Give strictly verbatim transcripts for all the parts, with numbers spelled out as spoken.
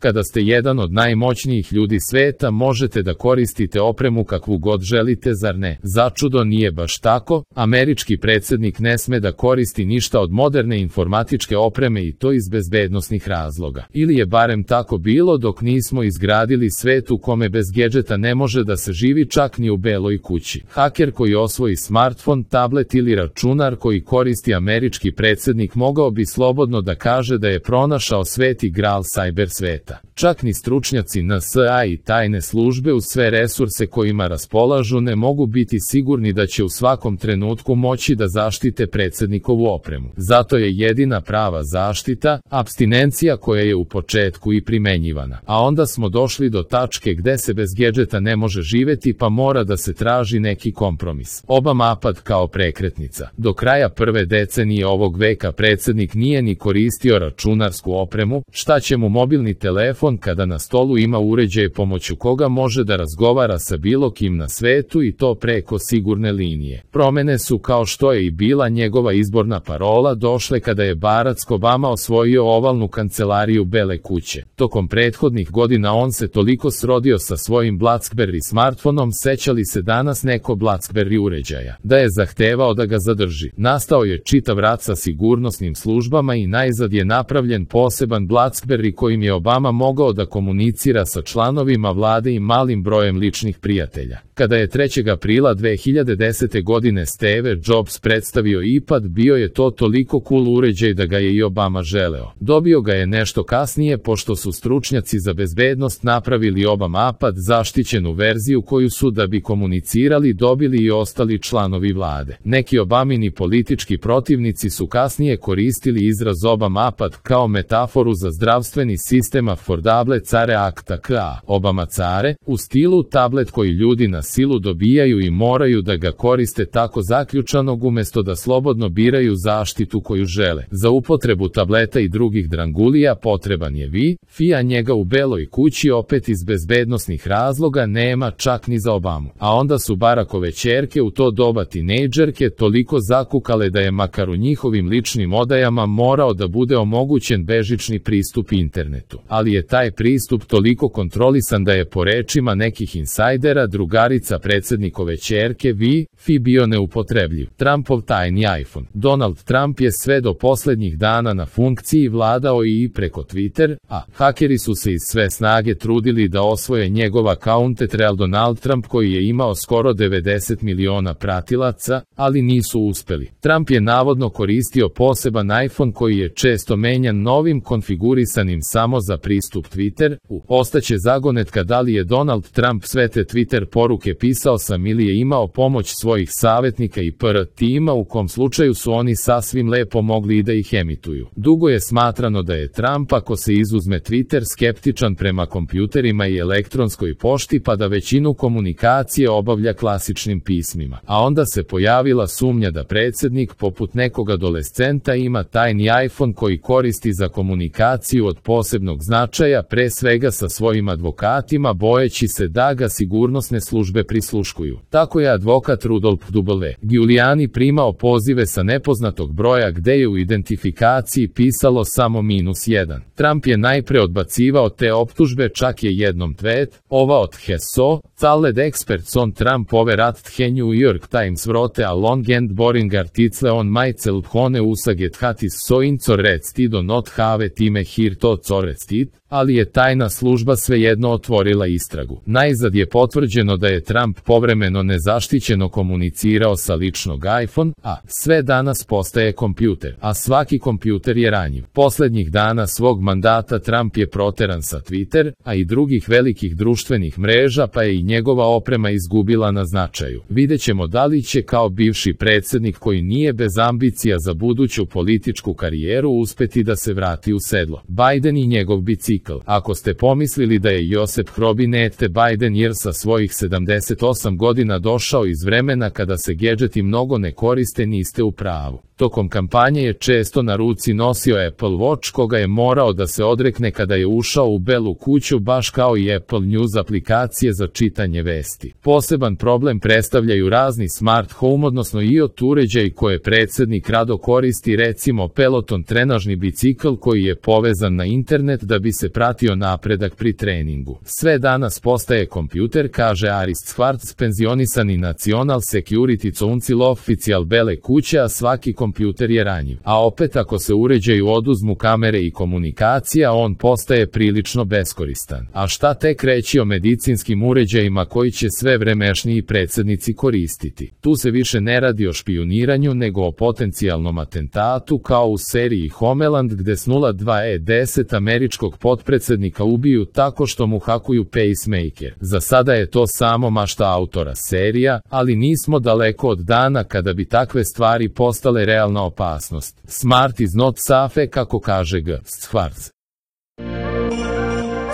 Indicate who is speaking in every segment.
Speaker 1: Kada ste jedan od najmoćnijih ljudi sveta, možete da koristite opremu kakvu god želite, zar ne? Začudo nije baš tako. Američki predsjednik ne sme da koristi ništa od moderne informatičke opreme i to iz bezbednosnih razloga. Ili je barem tako bilo dok nismo izgradili svet u kome bez gedžeta ne može da se živi čak ni u beloj kući. Haker koji osvoji smartfon, tablet ili računar koji koristi američki predsjednik mogao bi slobodno da kaže da je pronašao sveti gral cyber sveta. Čak ni stručnjaci N S A i tajne službe uz sve resurse kojima raspolažu ne mogu biti sigurni da će u svakom trenutku moći da zaštite predsjednikovu opremu. Zato je jedina prava zaštita apstinencija koja je u početku i primenjivana. A onda smo došli do tačke gde se bez gedžeta ne može živeti pa mora da se traži neki kompromis. Obamapad kao prekretnica. Do kraja prve decenije ovog veka predsjednik nije ni koristio računarsku opremu, šta će mu mobilni telefon kada na stolu ima uređaj pomoću koga može da razgovara sa bilo kim na svetu i to preko sigurne linije. Promene su, kao što je i bila njegova izborna parola, došle kada je Barack Obama osvojio ovalnu kancelariju Bele kuće. Tokom prethodnih godina on se toliko srodio sa svojim BlackBerry smartfonom, seća li se danas neko BlackBerry uređaja, da je zahtevao da ga zadrži. Nastao je čitav rat sa sigurnosnim službama i najzad je napravljen poseban BlackBerry kojim je Obama mogao da komunicira sa članovima vlade i malim brojem ličnih prijatelja. Kada je trećeg aprila dve hiljade desete godine Steve Jobs predstavio iPad, bio je to toliko cool uređaj da ga je i Obama želeo. Dobio ga je nešto kasnije pošto su stručnjaci za bezbednost napravili Obamapad, zaštićenu verziju koju su, da bi komunicirali, dobili i ostali članovi vlade. Neki Obamini politički protivnici su kasnije koristili izraz Obamapad kao metaforu za zdravstveni sistem Affordable Care Act A K A, Obama care, u stilu tablet koji ljudi na silu dobijaju i moraju da ga koriste tako zaključanog umesto da slobodno biraju zaštitu koju žele. Za upotrebu tableta i drugih drangulija potreban je Wi-Fi, a njega u Beloj kući opet iz bezbednosnih razloga nema čak ni za Obamu. A onda su Barackove ćerke, u to doba tinejdžerke, toliko zakukale da je makar u njihovim ličnim odajama morao da bude omogućen bežični pristup internetu. Ali je taj pristup toliko kontrolisan da je po rečima nekih insajdera drugarica predsjednikove ćerke Wi-Fi bio neupotrebljiv. Trumpov tajni iPhone. Donald Trump je sve do posljednjih dana na funkciji vladao i preko Twitter, a hakeri su se iz sve snage trudili da osvoje njegov akaunt Real Donald Trump koji je imao skoro devedeset miliona pratilaca, ali nisu uspeli. Trump je navodno koristio poseban iPhone koji je često menjan novim konfigurisanim samo za pristup Twitter. U ostaće zagonetka da li je Donald Trump sve te Twitter poruke pisao sam ili je imao pomoć svojih savjetnika i P R tima, u kom slučaju su oni sasvim lepo mogli i da ih emituju. Dugo je smatrano da je Trump, ako se izuzme Twitter, skeptičan prema kompjuterima i elektronskoj pošti pa da većinu komunikacije obavlja klasičnim pismima. A onda se pojavila sumnja da predsjednik poput nekog adolescenta ima tajni iPhone koji koristi za komunikaciju od posebnog značaja, pre svega sa svojim advokatima, bojeći se da ga sigurnosne službe prisluškuju. Tako je advokat Rudolph W. Giuliani primao pozive sa nepoznatog broja gde je u identifikaciji pisalo samo minus jedan. Trump je najpre odbacivao te optužbe, čak je jednom tweet, ova od Heso, Called experts on Trump over at the New York Times wrote a long and boring article on myself hone usaget hat is so incorrect do not have time here to correct, ali je tajna služba svejedno otvorila istragu. Najzad je potvrđeno da je Trump povremeno nezaštićeno komunicirao sa ličnog iPhone, a sve danas postaje kompjuter, a svaki kompjuter je ranjiv. Poslednjih dana svog mandata Trump je proteran sa Twitter, a i drugih velikih društvenih mreža, pa je i njegova oprema izgubila na značaju. Videćemo da li će kao bivši predsjednik koji nije bez ambicija za buduću političku karijeru uspeti da se vrati u sedlo. Biden i njegov bicikl. Ako ste pomislili da je Josep Hrobinete Biden jer sa svojih sedamdeset osam godina došao iz vremena kada se gedžeti mnogo ne koriste, niste u pravu. Tokom kampanje je često na ruci nosio Apple Watch koga je morao da se odrekne kada je ušao u Belu kuću, baš kao i Apple News aplikacije za čitanje vesti. Poseban problem predstavljaju razni smart home, odnosno i IoT uređaji koje predsjednik rado koristi, recimo Peloton trenažni bicikl koji je povezan na internet da bi bi se pratio napredak pri treningu. Sve danas postaje kompjuter, kaže Arist Schwartz, penzionisani National Security Council oficial Bele kuće, a svaki kompjuter je ranjiv. A opet ako se uređaju oduzmu kamere i komunikacija, on postaje prilično beskoristan. A šta tek reći o medicinskim uređajima koji će sve vremešniji predsjednici koristiti? Tu se više ne radi o špijuniranju nego o potencijalnom atentatu kao u seriji Homeland gde s nula dva E deset američkog potpredsjednika ubiju tako što mu hakuju pacemaker. Za sada je to samo mašta autora serija, ali nismo daleko od dana kada bi takve stvari postale realna opasnost. Smart is not safe, kako kaže G. Schwartz.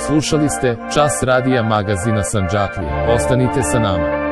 Speaker 1: Slušali ste Čas radija magazina Sandžaklija. Ostanite sa nama.